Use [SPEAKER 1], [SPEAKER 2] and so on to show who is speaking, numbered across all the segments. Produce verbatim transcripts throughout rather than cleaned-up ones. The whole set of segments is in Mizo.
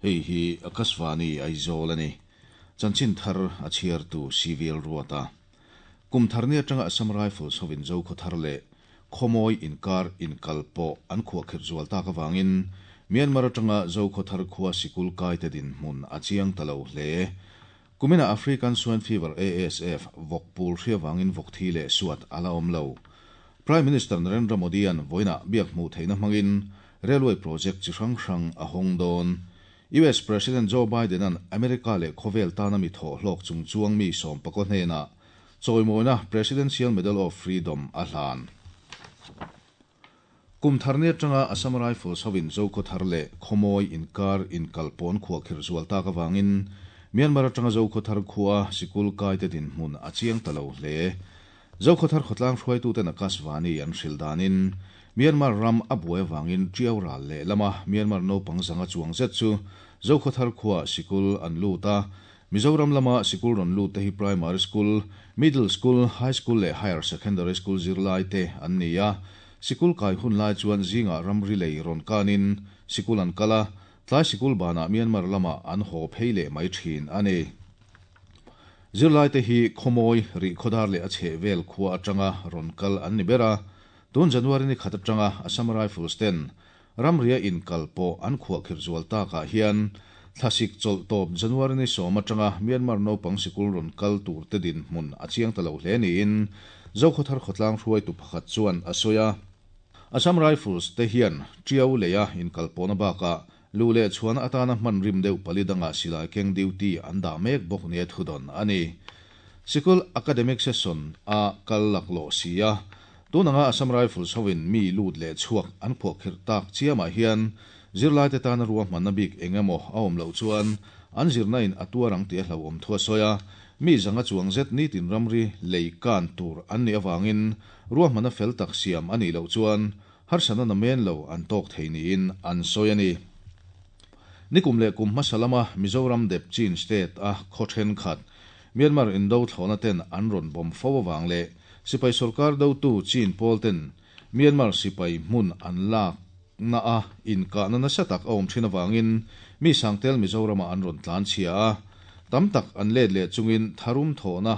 [SPEAKER 1] Hei hi Akashvani Aizawl a ni. Chanchin thar a chhiartu Civil Ruata. Kum thar ni atanga Assam Rifles hovin Zokhaw thar leh Khawmawi inkar inkalpawh an khuahkhirh zual tak avangin Myanmar atanga Zokhaw thar khua sikul kaite dinhmun a chiang ta lo hle. Kumina African Swine Fever A S F vawk pul hri avangin vawk thi leh suat a la awm lo. Prime Minister Narendra Modi an vawiinah biak hmuh theihna hmangin railway project chi hrang hrang a hawng dawn. U S President Joe Biden an America leh khawvel tana mi thaw hlawk chung chuang mi sawm pako hnena chawimawina Presidential Medal of Freedom a hlan. Kum tharni atanga Assam Rifles hovin Zokhaw thar leh Khawmawi inkar inkalpawh an khuahkhirh zual tak avangin Myanmar atanga Zokhaw thar khua sikul kaite dinhmun a chiang ta lo hle. Zokhaw thar khawtlang hruaituten Akashvani an hrilh danin Myanmar ram a buai avangin Tiau ral leh lama Myanmar naupang zanga chuang zet chu Zokhaw thar khua sikul an lut a. Mizoram lama sikul rawn lut te hi primary school, middle school, high school leh higher secondary school zirlai te an ni a. Sikul kai hun lai chuan zinga ramri lei rawn kanin sikul an kal a, tlai sikul banah Myanmar lama an haw phei leh mai thin a ni. Zirlai te hi Khawmawi, Rihkhawdar leh a chhehvel khua atanga rawn kal an ni ber a. Tun January ni khat atanga Assam Rifles ten ramria inkalpawh an khuahkhirh zual takah hian thlasik chawlh tawp January ni sawm atanga Myanmar naupang sikul rawn kal tur te dinhmun a chiang ta lo hle niin Zokhaw thar khawtlang hruaitu pakhat chuan a sawi a. Assam Rifles te hian Tiau leia inkalpawhna bakah lu leh chhuana atana hman rim deuh pali danga silai keng duty an dah mek bawk nia thudon a ni. Sikul academic session a kal laklawh si a, tunanga Assam Rifles hovin mi lut leh chhuak an khuahkhirh tak chiamah hian zirlai te tana ruahmanna bik engemaw a awm loh chuan an zirna in a tuar ang tih a hlauhawm thu a sawi a. Mi zanga chuang zet nitin ramri lei kan tur an nih avangin ruahmanna fel tak siam a nih loh chuan harsatna namen lo an tawk thei niin an sawi a ni. Nikum leh kum hmasa lama Mizoram dep Chin State a khaw thenkhat Myanmar indo thlawhna ten an rawn bawm fo awang leh sipai sorkar dotu Chin pawl ten Myanmar sipai hmun an lak na a inkahna nasa tak a awm thin awangin mi sangtel Mizorama an rawn tlan chhia a. Tam tak an let leh chungin tharum thawhna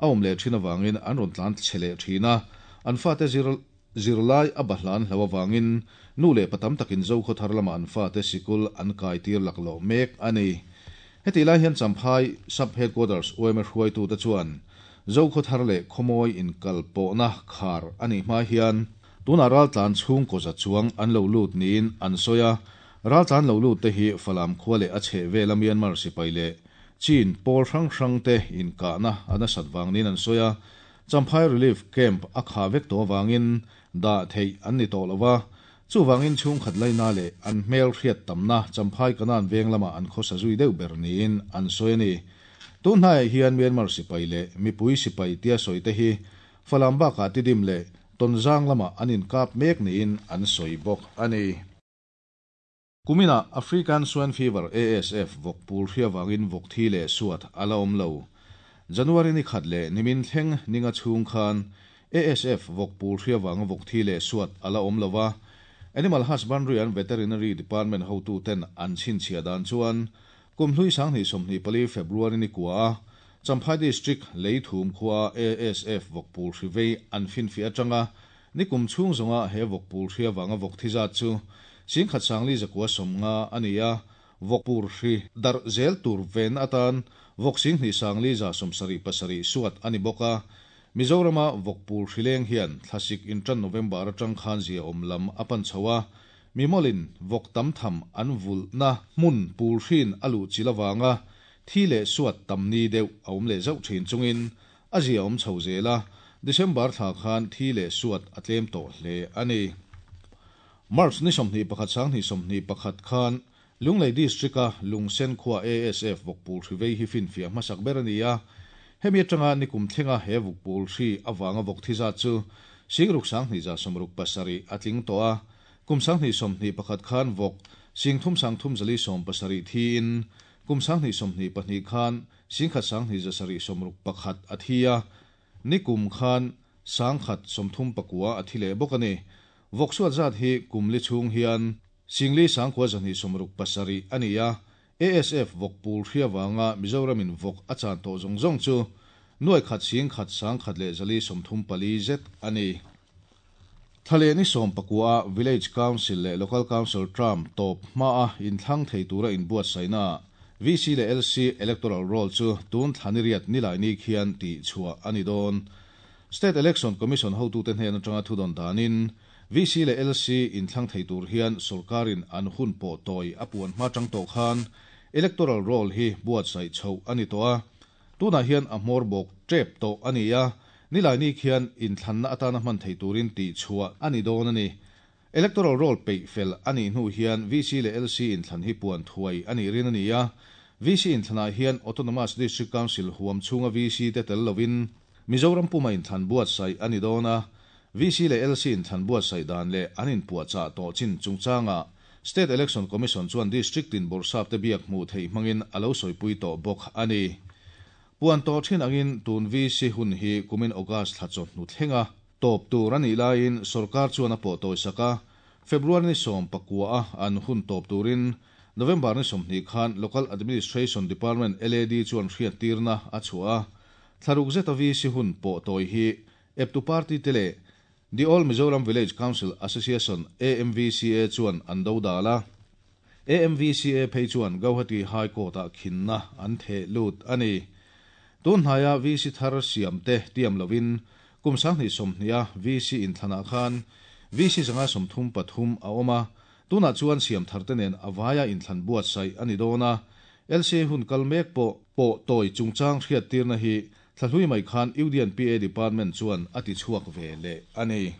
[SPEAKER 1] a awm leh thin awangin an rawn tlan chhe leh thin a. An fate zir zirlai a bahlan hlo awangin nu leh pa tam takin Zokhaw thar lama an fate sikul an kai tir laklawh mek a ni. Heti lai hian Champhai Sub Headquarters Y M A hruaitu te chuan Zokhaw thar leh Khawmawi inkalpawhna khar a nih hma hian tuna raltlan chhungkaw za chuang an lo lut niin an sawi a. Raltlan lo lut te hi Falam khua leh a chhehvela Myanmar sipai leh Chin pawl hrang hrang te inkahna a nasat vang niin an sawi a. Champhai Relief Camp a kha vek tawh awangin dah theih an ni tawh lova, chuwangin chhungkhat laina leh an hmel hriat tamna Champhai Kanan veng lama an khawsa zui deuh ber niin an sawi a ni. Tun hnaiah hian Myanmar sipai leh mipui sipai tia sawi te hi Falam bakah Tidim leh Tonzang lama an inkap mek niin an sawi bawk a ni. Kumina African Swine Fever A S F vawk pul hri awangin vawk thi leh suat a la awm lo. January ni khat leh nimin thleng ninga chhung khan A S F vawk pul hri awanga vawk thi leh suat a la awm lova. Animal Husbandry and Veterinary Department hotu ten an chhinchhiah dan chuan kum hlui sanghnih sawmhnih pali February ni kua a Champhai District Leithum khua A S F vawk pul hri vei an finfi atanga nikum chhung zawnga he vawk pul hri awanga vawk thi zat chu singkhat sangli zakua sawmnga a ni a. Vawk pul hri darh zel tur ven atan vawk singhnih sangli za sawmsarih pasarih suat a ni bawk a. Mizorama vawk pul hri leng hian thlasik intan November atang khan zia awm lam a pan chho a. Mi mawlin vawk tam tham an vulhna hmun pul hrin a luh chil awanga thi leh suat tam ni deuh a awm leh zauh thin chungin a zia awm chho zel a, December thla khan thi leh suat a tlem tawh hle a ni. March ni sawmhnih pakhat sanghnih sawmhnih pakhat khan Lunglei District a Lungsen khua A S F vawk pul hri vei hi finfiah hmasak ber a ni a. Hemi atanga nikum thlenga he vawk pul hri awanga vawk thi zat chu singruk sanghnih za sawmruk pasarih a tling tawh a. Kum sanghnih sawmhnih pakhat khan vawk singthum sangthum zali sawm pasarih thiin kum sanghnih sawmhnih pahnih khan singkhat sanghnih zasarih sawmruk pakhat a thi a. Nikum khan sangkhat sawmthum pakua a thi leh bawk a ni. Vawk suat zat hi kum li chhung hian singli sangkua zahnih sawmruk pasarih a ni a. A S F vawk pul hri avanga Mizoramin vawk a chan tawh zawng zawng chu nuai khat sing khat sang khat leh zali sawmthum pali zet a ni. Thlaleh ni sawm pakua Village Council leh Local Council term tawp hmaa inthlang thei tura inbuatsaihna V C leh L C Electoral Roll chu tun thla ni riat Nilaini khian tihchhuah a ni dawn. State Election Commission hotute hnen atanga thudawn danin V C leh L C inthlang thei tur hian sorkarin an hun pawh tawi a puan hma tang tawh khan Electoral Roll hi buatsaih chhoh a ni tawh a. Tunah hian a hmawr bawk tep tawh a ni a, Nilaini khian inthlanna atana hman thei turin tihchhuah a ni dawn a ni. Electoral Roll peih fel a nih hnu hian V C leh L C inthlan hi puan thuai a nih rin a ni a. V C inthlanah hian Autonomous District Council huam chhunga V C te tel lovin Mizoram puma inthlan buatsaih a ni dawn a. V C leh L C inthlan buatsaih dan leh an inpuahchah tawh chin chungchanga State Election Commission chuan District tin bawrhsap te biak hmuh theih hmangin a lo sawipui tawh bawk a ni. Puan tawh thin angin tun V C hun hi kumin August thla chawhnu thlenga tawp tur a nih laiin sorkar chuan a pawh tawi sak a, February ni sawm pakua a an hun tawp turin November ni sawmhnih khan Local Administration Department L A D chuan hriattirna a chhuah a. Thlaruk zeta V C hun pawh tawi hi eptu party te leh The All Mizoram Village Council Association A M V C A chuan an do dal a. A M V C A phei chuan Guwahati High Court-ah khinna an theh lut a ni. Tun hnaia V C thar siam te tiam lovin kum sanghnih sawmhnih a V C inthlanah khan V C zanga sawmthum pathum a awm a. Tunah chuan siam thar te nen a vaia inthlan buatsaih a ni dawn a. L C hun kal mek pawh pawh tawi chungchang hriattirna hi thlahlui mai khan U D and P A Department chuan a ti chhuak ve leh a ni.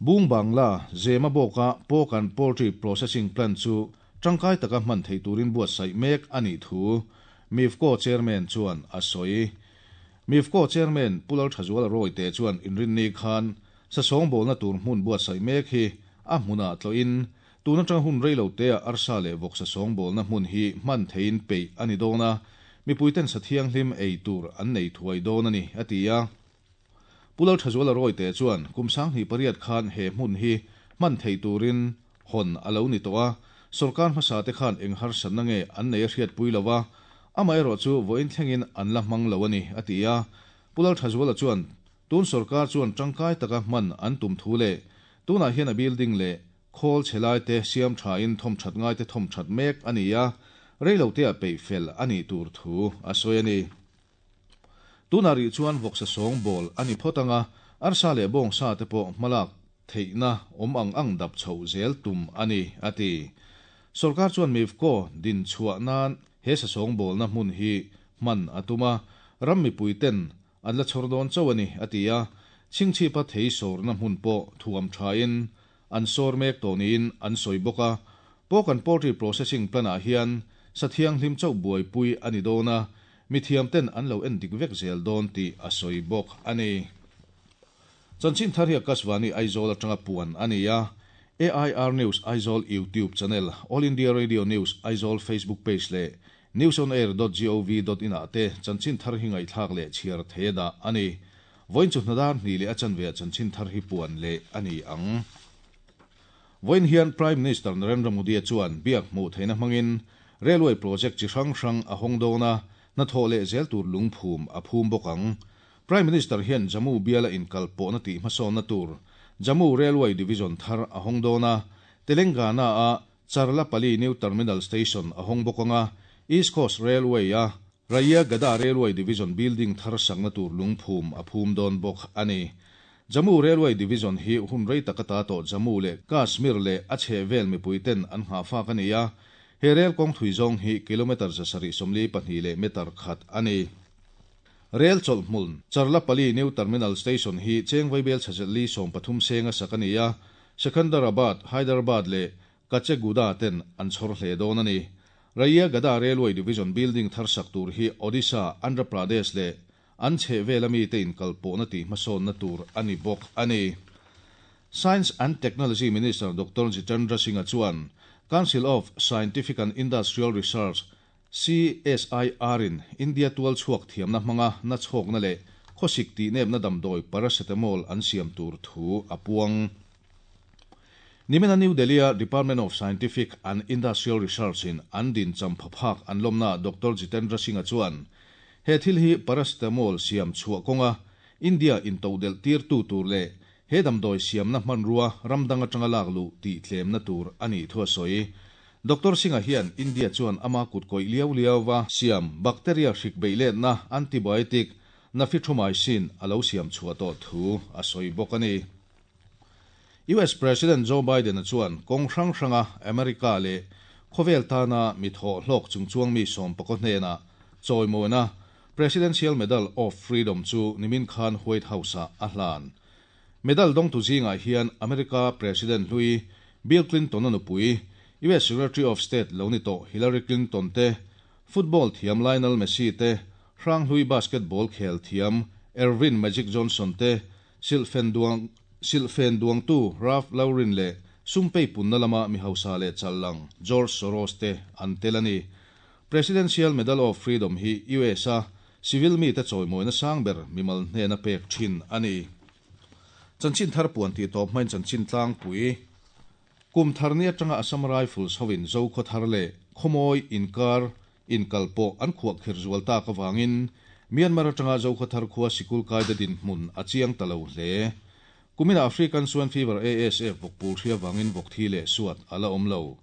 [SPEAKER 1] Bung Bangla Zemabawka Pork and Poultry Processing Plant chu tangkai taka hman thei turin buatsaih mek a nih thu MIFCO Chairman chuan a sawi. MIFCO Chairman Pu Lalthazuala Royte chuan inrinni khan sasawngbawlna tur hmun buatsaih mek hi a hmunah tlawhin tun atang hun reilo te a arsa leh vawk sasawngbawlna hmun hi hman theiin peih a ni dawn a, mipuiten sa thianghlim ei tur an nei thuai dawn a ni a ti a. Pu Lalthazuala Royte chuan kum sanghnih pariat khan he hmun hi hman thei turin hawn a lo ni tawh a, sorkar hmasa te khan eng harsatna nge an nei a hriatpui lova, amaherawh chu vawiin thlengin an la hmang lo a ni a ti a. Pu Lalthazuala chuan tun sorkar chuan tangkai taka hman an tum thu leh tunah hian a building leh khawl chhelai te siam thain thawm that ngai te thawm that mek a ni a, reilo te a peih fel a nih tur thu a sawi a ni. Tunah rih chuan vawksa sawngbawl a ni phawt anga, arsa leh bawng sa te pawh hmalak theihna awm ang ang dap chhoh zel tum a ni a ti. Sorkar chuan MIFCO din chhuah nan he sasawngbawlna hmun hi hman a tum a, ram mipui ten an la chhawr dawn chauh a ni a ti a. Chhingchhipa thei sawrna hmun pawh thuam thain an sawr mek tawh niin an sawi bawk a. Pork and Poultry Processing Plant-ah hian sa thianghlim chauh buaipui a ni dawn a, mithiam ten an lo en dik vek zel dawn tih a sawi bawk a ni. Chanchin thar hi Akashvani Aizawl atanga puan a ni a. A I R News Aizawl YouTube channel, All India Radio News Aizawl Facebook page leh newsonair dot gov dot in ah te chanchin thar hi ngaihthlak leh chhiar thei dah a ni. Vawiin chu hnadar hnih leh a chanve chanchin thar hi puan leh a ni ang. Vawiin hian Prime Minister Narendra Modi chuan biak hmuh theihna hmangin railway project chi hrang hrang a hawng dawn a, hnathawh leh zel tur lungphum a phum bawk ang. Prime Minister hian Jammu biala inkal pawhna tih hmasawnna tur Jammu Railway Division thar a hawng dawn a, Telangana a Charlapalli New Terminal Station a hawng bawk anga, East Coast Railway a Rayagada Railway Division building thar sakna tur lungphum a phum dawn bawk a ni. Jammu Railway Division hi hun rei taka ta tawh Jammu leh Kashmir leh a chhehvel mipuiten an nghahfak a ni a. He rail kawng thui zawng hi kilometer zasarih sawmli pahnih leh meter khat a ni. Rail chawlhhmun Charlapalli New Terminal Station hi cheng vaibelchhe li sawm pathum senga sak a ni a. Secunderabad, Hyderabad leh Kacheguda ten an chhawr hle dawn a ni. Rayagada Railway Division building thar sak tur hi Odisha, Andhra Pradesh leh an chhehvel ami te inkal pawhna tih hmasawnna tur a ni bawk a ni. Science and Technology Minister Doctor Jitendra Singh chuan Council of Scientific and Industrial Research C S I R in India tual chhuak thiamna hmanga na chhawkna leh khawsik tih nepna damdawi paracetamol an siam tur thu a puang. Nimina New Delhi-a Department of Scientific and Industrial Research-in an din champhaphak an lawmnaah Doctor Jitendra Singh-a chuan he thil hi paracetamol siam chhuah kawnga India intodelh tirtu tur leh he damdawi siamna hmanrua ram dang atanga lak luh tih tlemna tur a nih thu a sawi. Doctor Singh-a hian India chuan ama kutkawih liau liauva siam bacteria hrik beihletna antibiotic Nafithromycin a lo siam chhuah tawh thu a sawi bawk a ni. US President Joe Biden-a chuan kawng hrang hranga America leh khawvel tana mi thawh hlawk chungchuang mi sawm pakaw hnenah chawimawina Presidential Medal of Freedom chu nimin khan White House-ah a hlan. Medal dawngtu zingah hian America President hlui Bill Clinton-a nupui, US Secretary of State lo ni tawh Hillary Clinton te, football thiam Lionel Messi te, hranghlui basketball khel thiam Earvin Magic Johnson te, silhfen duang silhfen duangtu Ralph Lauren leh sumpei punna lama mi hausa leh challang George Soros te an tel a ni. Presidential Medal of Freedom hi US-a civil mite chawimawina sang ber mimal hnena pek thin a ni. Chanchin thar puan tih tawp hmain chanchin tlangpui kum thar ni atanga Assam Rifles hovin Zokhaw thar leh Khawmawi inkar inkalpawh an khuahkhirh zual tak avangin Myanmar atanga Zokhaw thar khua sikul kaida dinhmun a chiang ta lo hle. Kumina African Swine Fever ASF vawkpul hri avangin vawk thi leh suat a la awm lo.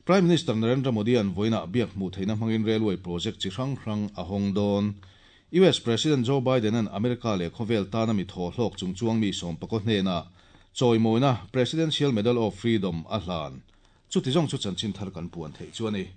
[SPEAKER 1] Prime Minister Narendra Modi-a'n vawiinah biak hmuh theihna hmangin railway project chi hrang hrang a hawng dawn. US President Joe Biden-a'n America leh khawvel tana mi thaw hlawk chungchuang mi sawm pakaw hnenah chawimawina Presidential Medal of Freedom a hlan. Chuti zawng chu chanchin thar kan puan theih chu a ni.